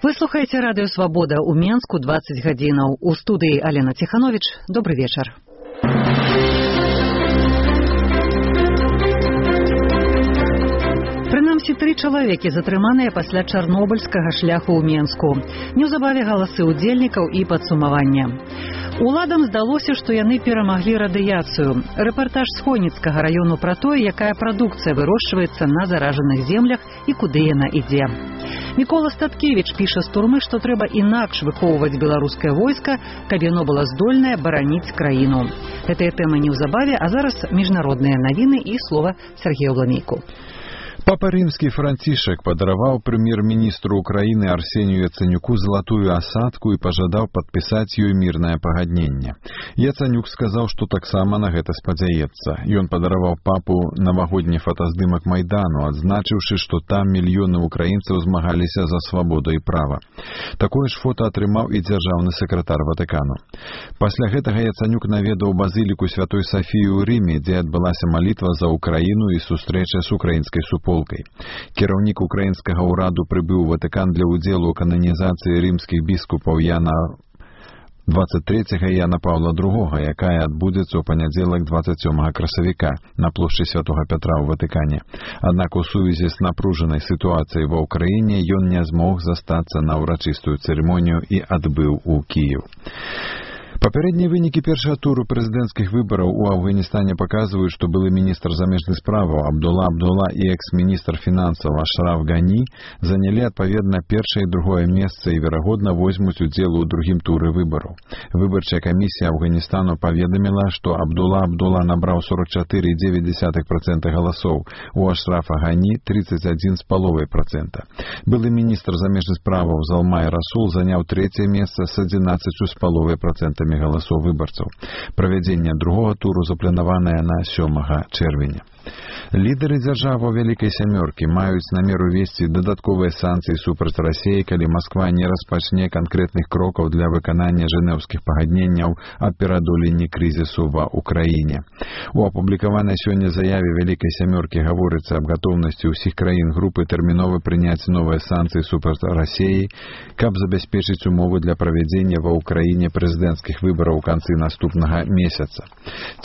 Вы слухаеце радыё «Свабода» ў Менску 20 гадзінаў. У студыі Алена Ціхановіч. Добры вечар. Прынамсі 3 чалавекі затрыманыя пасля чарнобыльскага шляху ў Менску. Неўзабаве галасы ўдзельнікаў і падсумавання. Уладам здалося, што яны перамаглі радыяцыю. Рэпартаж з Хойніцкага раёну пра тое, якая прадукцыя вырошчваецца на заражаных землях і куды яна ідзе. Мікола Статкевіч піша з турмы, што трэба інакш выхоўваць беларускае войска, каб яно было здольнае бараніць краіну. Гэтыя тэмы неўзабаве, а зараз міжнародныя навіны і слова Сергею Ламейку. Папа Римский Францішек падараваў прэм'ер-міністру Украіны Арсению Яценюку залатую асадку і пажадаў падпісаць ёй мірнае пагадненне. Яценюк сказаў, што таксама на гэта спадзяецца. Ён падараваў папу навагодні фотаздымак Майдану, адзначыўшы, што там мільёны украінцаў змагаліся за свабоду і права. Такое ж фота атрымаў і дзяржаўны сакратар Ватыкану. Пасля гэтага Яценюк наведаў базыліку Святой Сафіі ў Рыме, дзе адбылася малітва за Украіну і сустрэча з украінскай суполкай. Кіраўнік украінскага ўраду прыбыў у Ватыкан для ўдзелу ў кананізацыі рымскіх біскупаў Яна 23 і Яна Паўла II, якая адбудзецца ў панядзелак 27 красавіка на плошчы Святога Пятра ў Ватыкане. Аднак у сувязі з напружанай сітуацыяй ва ўкраіне ён не змог застацца на ўрачыстую цырымонію і адбыў у Кіеў. Папярэднія вынікі першага туру прэзідэнцкіх выбараў у Афганістане паказваюць, што былы міністр замежных справаў Абдулла і экс-міністр фінансаў Ашраф Гані занялі адпаведна першае і другое месца і, верагодна, возьмуць удзел у другім туры выбараў. Выбарчая камісія Афганістану паведаміла, што Абдулла набраў 44,9% галасоў, у Ашрафа Гані 31,5%. Былы міністр замежных справаў Залмай Расул заняў трэцяе месца з 11,5% галасоў выбарцаў. Правядзенне другога туру запланаванае на 7 чэрвеня. Лідары дзяржаваў Вялікай Сямёркі маюць намер увесці дадатковыя санкцыі супраць Расіі, калі Масква не распачне канкрэтных крокаў для выканання жэнеўскіх пагадненняў аб пераадоленні крызісу ва ўкраіне. У апублікаванай сёння заяве Вялікай Сямёркі гаворыцца аб гатоўнасці ўсіх краін групы тэрмінова прыняць новыя санкцыі супраць Расіі, каб забяспечыць умовы для правядзення ва ўкраіне прэзідэнцкіх выбараў у канцы наступнага месяца.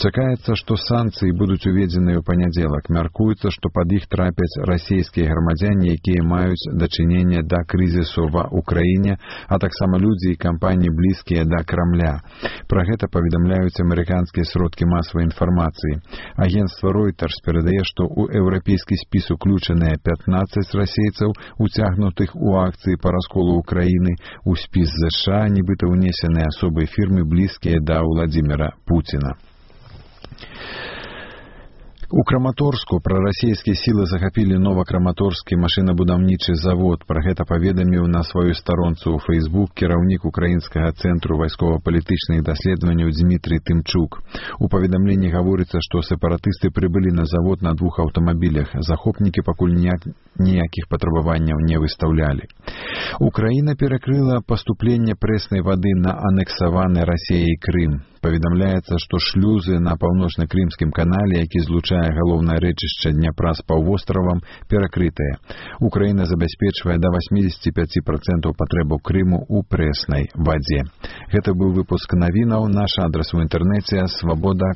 Чакаецца, што санкцыі будуць уведзеныя ў панядзелак. Мяркуецца, што пад іх трапяць расійскія грамадзяне, якія маюць дачыненне да крызісу ва ўкраіне, а таксама людзі і кампаніі блізкія да Крамля. Пра гэта паведамляюць амерыканскія сродкі масавай інфармацыі. Агенцтва Reuters перадае, што ў еўрапейскі спіс уключаныя 15 расейцаў, уцягнутых у акцыі па расколу Украіны, у спіс США нібыта ўнесеныя асобы фірмы блізкія да Владзіміра Пуціна. У Краматорску прарасійскія сілы захапілі новакраматорскі машынабудаўнічы завод. Пра гэта паведаміў на сваёй старонцы ў Facebook кіраўнік украінскага цэнтру вайскова-палітычных даследаванняў Дмітрий Тымчук. У паведамленні гаворыцца, што сепаратысты прыбылі на завод на 2 аўтамабілях. Захопнікі пакуль ніякіх патрабаванняў не выстаўлялі. Украіна перакрыла паступленне прэснай вады на анексаваны Расіяй Крым. Паведамляецца, што шлюзы на паўночна-крымскім канале, які злучае галоўнае рэчышча Дняпра з паўвостравам, перакрытыя. Украіна забяспечвае да 85% патрэбаў Крыму ў прэснай вадзе. Гэта быў выпуск навінаў. Наш адрас у інтэрнэце свабода.орг.